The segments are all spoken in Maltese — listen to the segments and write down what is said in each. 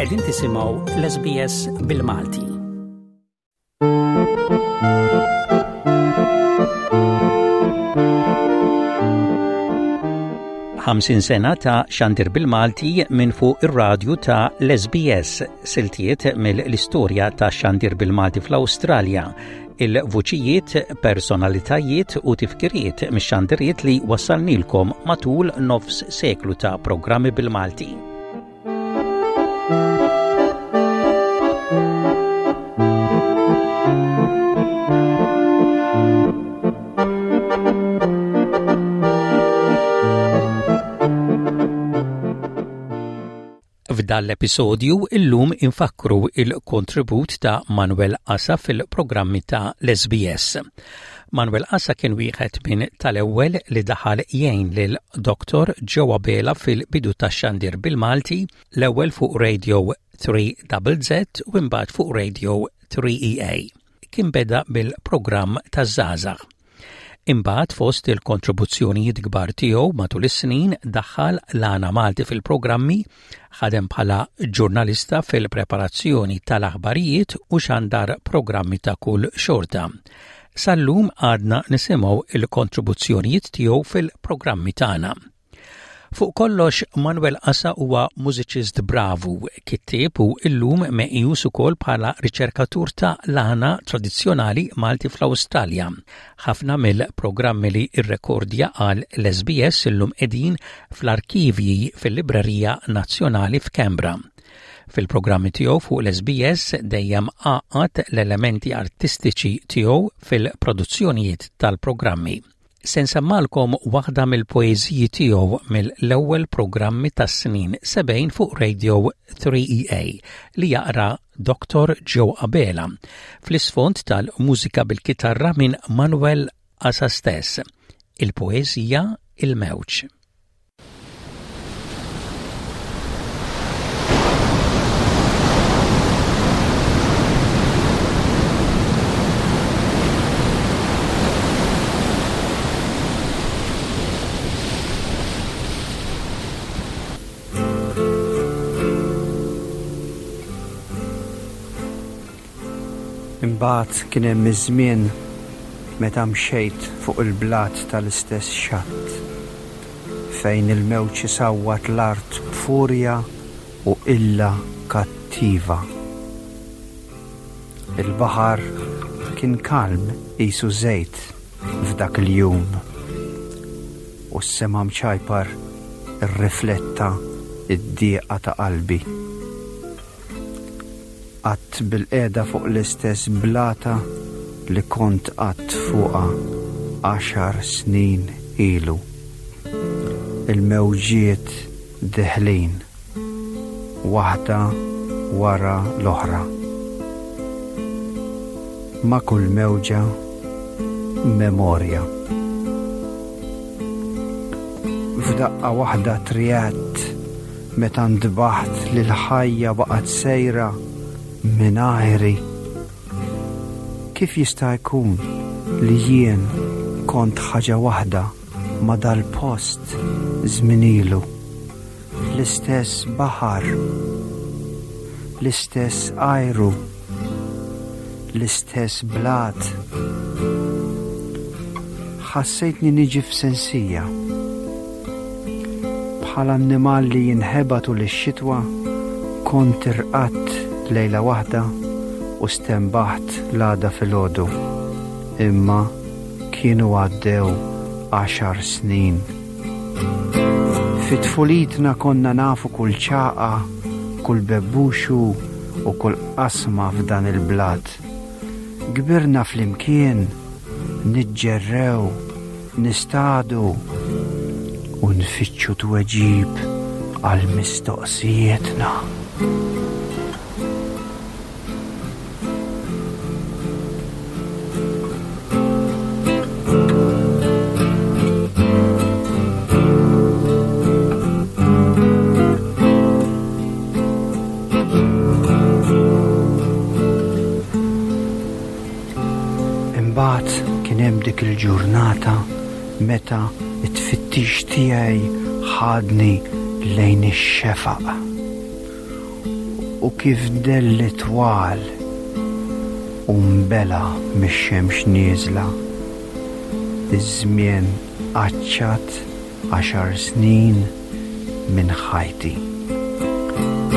Qegħdin tisimgħu l-SBS bil-Malti. 50 sena ta' xandir bil-Malti minn fuq ir-radju ta' l-SBS, siltiet mill-istorja ta' xandir bil-Malti fl-Awstralja, il-vuċijiet, personalitajiet u tifkiriet mix-xandiriet li wassalnilkom matul nofs seklu ta' programmi bil-Malti. F'dan l-episodju illum infakkru il-kontribut ta' Manuel Asa fil-programmi ta' l-SBS. Manuel Asa kien wieħed minn tal-ewwel li daħal jgħin lil Dr. Joe Abela fil-bidu tax-xandir bil-Malti, l-ewwel fuq Radio 3ZZ u imbagħad fuq Radio 3EA. Kien beda bil-programm taż-żgħażagħ. Imbagħad fost il-kontribuzzjonijiet kbar tiegħu matul is-snin daħħal l-għana Malti fil-programmi, ħadem bħala ġurnalista fil-preparazzjoni tal-aħbarijiet u xandar programmi ta' kull xorta. Sal-lum għadna nisimgħu il-kontribuzzjonijiet tiegħu fil-programmi tagħna. Fuq kollox, Manuel Asa huwa mużiċist bravu, kittieb u illum meqjus ukoll bħala riċerkatur ta' l-għana tradizzjonali Malti fl-Awstralja. Ħafna mill-programmi li rrekordja għal l-SBS illum qegħdin fl-arkivji fil-Librerija Nazzjonali f'Canberra. Fil-programmi tiegħu fuq l-SBS dejjem għaqqad l-elementi artistiċi tiegħu fil-produzzjonijiet tal-programmi. Se nsemmalkom waħda mill-poeżiji tiegħu mill-ewwel programmi tas-snin 70 fuq Radio 3EA li jaqra Dr. Joe Abela fl-isfond tal-mużika bil-kitarra minn Manuel Asa stess. Il-poeżija Il-Mewġ. Imbagħad kien hemm iż-żmien meta mxejt fuq il-blat tal-istess xatt, fejn il-mewġ isawwat l-art b'furja u qilla kattiva. Il-baħar kien kalm qisu żejt f'dak il-jum, u s-sema mċajpar irrifletta d-dieqa ta' qalbi. Qgħadt bilqiegħda fuq l-istess blata li kont qgħadt fuqha għaxar snin ilu. Il-mewġiet deħlin, waħda wara l-oħra. Ma' kull mewġa, memorja. F'daqqa waħda triegħedt Meta ntbaħt li l-ħajja baqgħet sejra mingħajri. Kif jista' jkun li jien kont ħaġa waħda ma' dal-post żmien ilu? L-istess baħar, l-istess ajru, l-istess blat. Ħassejtni niġi f'sensija. Bħal annimal li jinħeba tul ix-xitwa, kont irqadt lejla waħda u stenbaħt l-għada filgħodu. Imma kienu għaddew għaxar snin. Fi tfulitna konna nafu kull ċagħqa, kull bebbuxu u kull qasma f'dan il-blat. Kbirna flimkien, niġġerrew, nistadu u nfittxu tweġib għal mistoqsijietna. Imbagħad kien hemm dik il-ġurnata meta t-tfittix tiegħi ħadni lejn ix-xefaq. U kif delli twal u nbela' mix-xemx nieżla, iż-żmien qaċċat għaxar snin minn ħajti.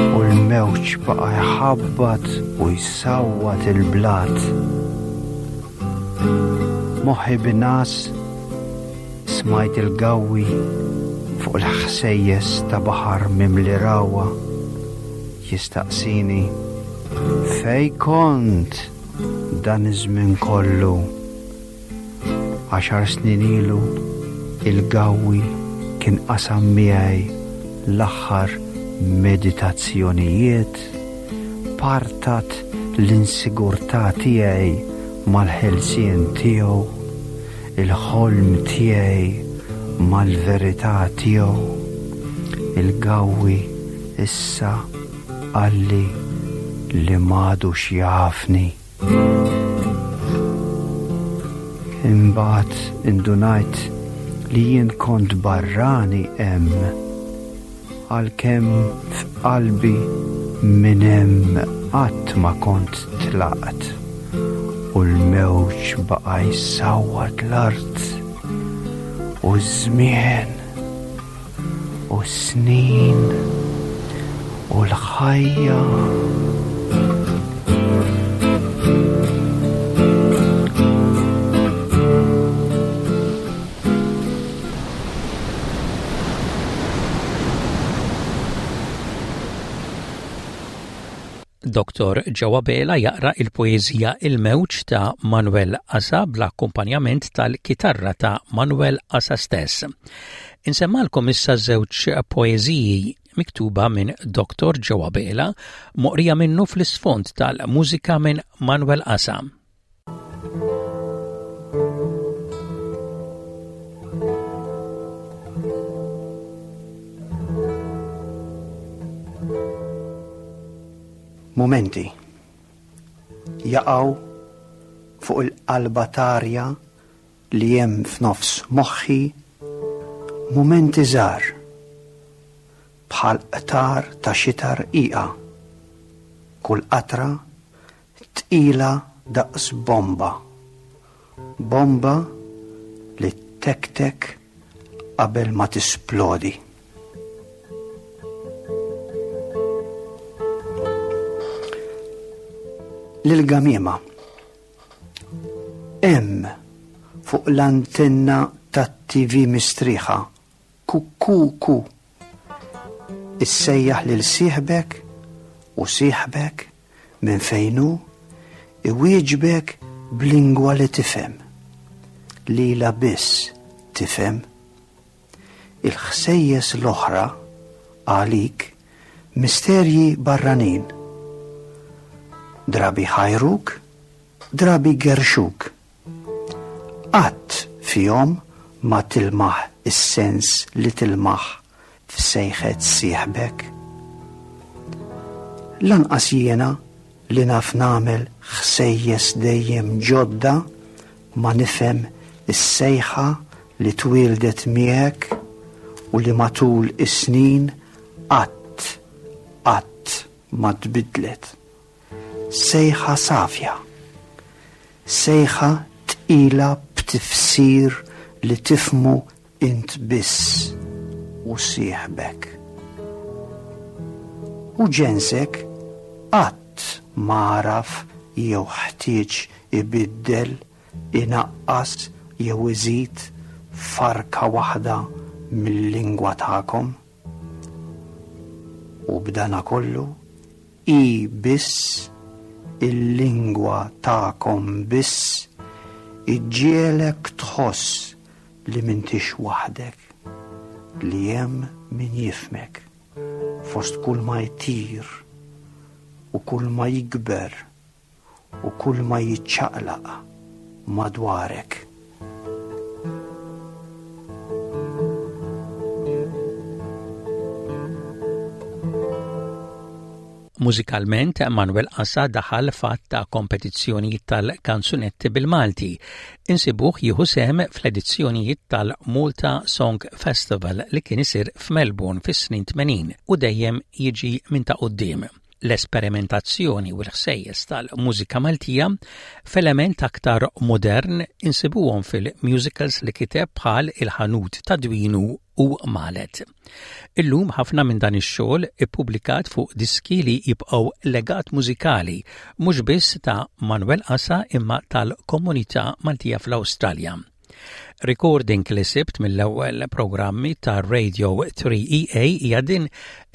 U l-mewġ baqa' jħabbat u jsawwat il-blat. Moħħi bin-ngħas smajt il-gawwi fuq il-ħsejjes ta' baħar mimli ragħwa jistaqsini fejn kont dan iż-żmien kollu. Għaxar snin ilu il-gawwi kien qasam miegħi l-aħħar meditazzjonijiet, partat l-insigurtà tiegħi mal-ħelsien tiegħu, il-ħolm tiegħi mal-verità tiegħu. Il-gawwi issa qalli li m'għadux jafni. Imbagħad indunajt li jien kont barrani hemm, għalkemm f'qalbi minn hemm qatt ma kont tlaqt, u l-mewġ baqa' jsawwat l-art u ż-żmien. U s-snin u l-ħajja. Dr. Joe Abela jaqra il-poeżija Il-Mewġ ta' Manuel Asa bl-akkumpanjament tal-kitarra ta' Manuel Asa stess. Insemmalkom issa żewġ poeżiji miktuba minn Dr. Joe Abela, moqrija minnu fl-isfond tal-mużika minn Manuel Asa. Mumenti jaqgħu fuq il-qalba t'arja li hemm f'nofs moħħi, mumenti żgħar bħal qtar ta' xita rqiqa, kull qatra Tqila daqs bomba. Bomba li ttektek qabel ma tisplodi. Lil-gamiema. Hemm fuq l-antenna tat-TV mistrieħa Ku-ku-ku. Issejjaħ lil sieħbek u sieħbek, minn fejn hu, iwieġbek b'lingwa li tifhem. Lilha biss tifhem. Il-ħsejjes l-oħra, għalik, misterji barranin. Drabi jħajruk, drabi jgerrxuk. Qatt fihom ma tilmaħ is-sens li tilmaħ f'sejħet sieħbek. Lanqas jiena li naf nagħmel ħsejjes dejjem ġodda ma nifhem is-sejħa li twieldet miegħek u li matul is-snin qatt, qatt ma tbiddlet. Sejħa safja. Sejħa tqila b'tifsir li tifhmu int biss u sieħbek. U ġensek qatt ma għaraf jew ħtieġ ibiddel, inaqqas jew iżid farka waħda mil-lingwa tagħkom. U b'danakollu hi biss, il-lingwa tagħkom biss, iġġiegħlek tħoss li m'intix waħdek, li hemm min jifhmek fost kulma jtir u kulma jikber u kulma jiċċaqlaq madwarek. Mużikalment, Manuel Asa daħal f'għadd ta' kompetizzjonijiet tal-kanzunetti bil-Malti. Insibuh jieħu sehem fl-edizzjonijiet tal-Malta Song Festival li kien isir f'Melbourne fis-snin 80 u dejjem jiġi minn ta' quddiem. L-esperimentazzjoni u l-ħsejjes tal-mużika Maltija f'element aktar modern insibuhom fil-musicals li kiteb bħal Il-Ħanut ta' Dwinu u Malet. Illum ħafna minn dan ix-xogħol ippubblikat fuq diski li jibqgħu legat mużikali mhux biss ta' Manuel Asa imma tal-komunità Maltija fl-Awstralja. Recording li sibt mill-ewwel programmi ta' Radio 3EA hija din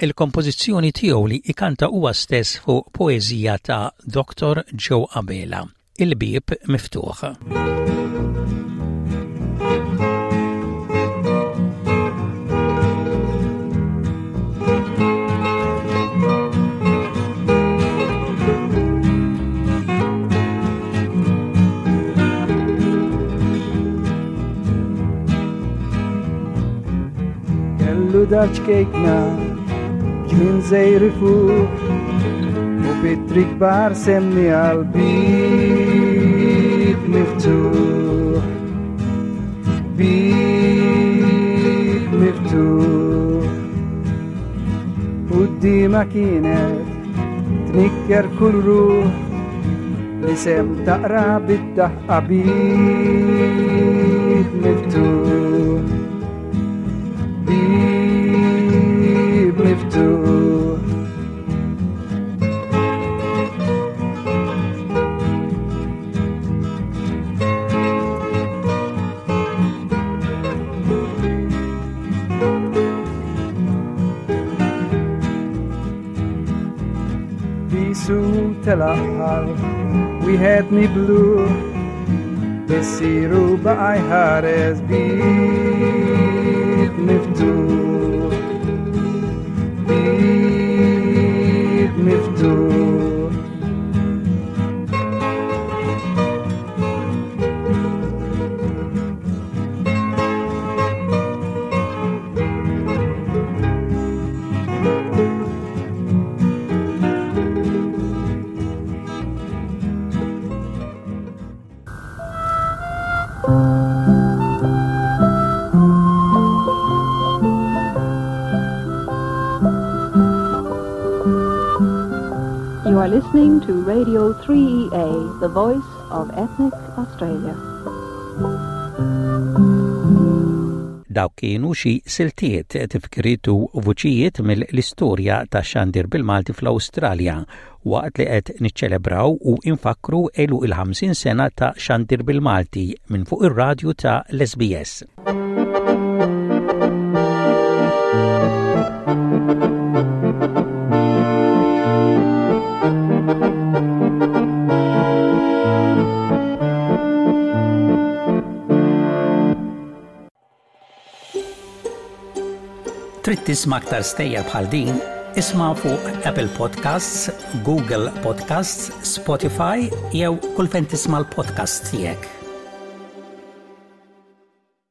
il-kompożizzjoni tiegħu li ikanta huwa stess fuq poeżija ta' Dr. Joe Abela, Il-bieb miftuħ. Kellu dar ċkejkna ġnien żejr ifuħ u bitri kbar semmi għal bib miftuħ. Bib miftuħ. Quddiemha kienet tnikker kull ruħ l-isem taqra bid-daħqa bib miftuħ. Bib miftuħ. Bisu telaq wieħed miblu Missiru baqa' jħares bib miftuħ Bib miftuħ You are listening to Radio 3EA, the voice of ethnic Australia. Dawk kienu xi siltiet, tifkiriet u vuċijiet mill-istorja tax-xandir bil-Malti fl-Awstralja waqt li qed niċċelebraw u infakkru għeluq il-50 sena ta' xandir bil-Malti minn fuq ir-radju ta' l-SBS. Trid tisma' aktar stejjer bħal din? Isma' fuq Apple Podcasts, Google Podcasts, Spotify jew kull fejn tisma' l-podcasts tiegħek.